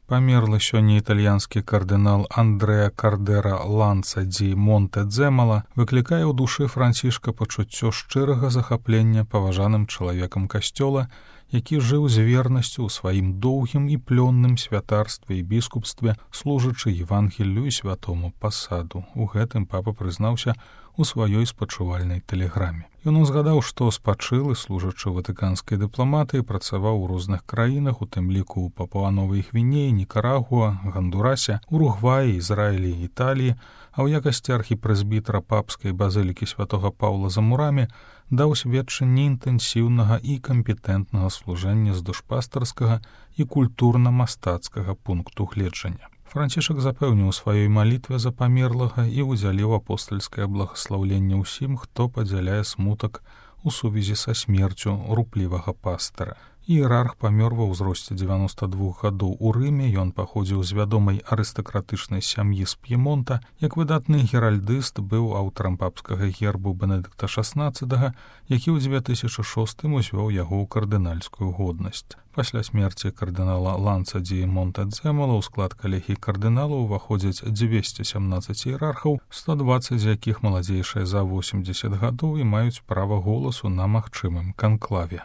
Памерлы сёння італьянскі кардынал Андрэа Кардера Ланца ді Монтэ-Дзэмала выклікае ў душы Францішка пачуццё шчырага захаплення паважаным чалавекам касцёла, які жыў з вернасцю ў сваім доўгім і плённым святарстве і біскупстве, служачы Евангелію і святому пасаду. У гэтым папа прызнаўся у сваёй спачувальнай тэлеграме. Ён узгадаў, што спачылы, служачы ватыканскай дыпламатыі, працаваў у розных краінах, у тым ліку ў Папуа-Новай Гвінеі, Нікарагуа, Гандурасе, Уругваі, Ізраілі і Італіі, а ў якасці архіпрэзбітара папскай базылікі святога Паўла за Мурамі даў сведчанне інтэнсіўнага і кампетэнтнага служэння з душпастарскага і культурна-мастацкага пункту гледжання. Францішак запэўніў у сваёй малітве за памерлага і ўдзяліў апостальскае благаслаўленне ўсім, хто падзяляе смутак у сувязі са смерцю руплівага пастара. Іерарх памёр ва ўзросце 92 гадоў у Рыме, ён паходзіў з вядомай арыстакратычнай сям'і з П'емонта. Як выдатны геральдыст быў аўтарам папскага гербу Бенедыкта XVI, які ў 2006 узвёў яго ў кардынальскую годнасць. Пасля смерці кардынала Ланца ді Монтэ-Дзэмала ў склад калегіі кардыналаў уваходзяць 217 іерархаў, 120 з якіх маладзейшыя за 80 гадоў і маюць права голасу на магчымым канклаве.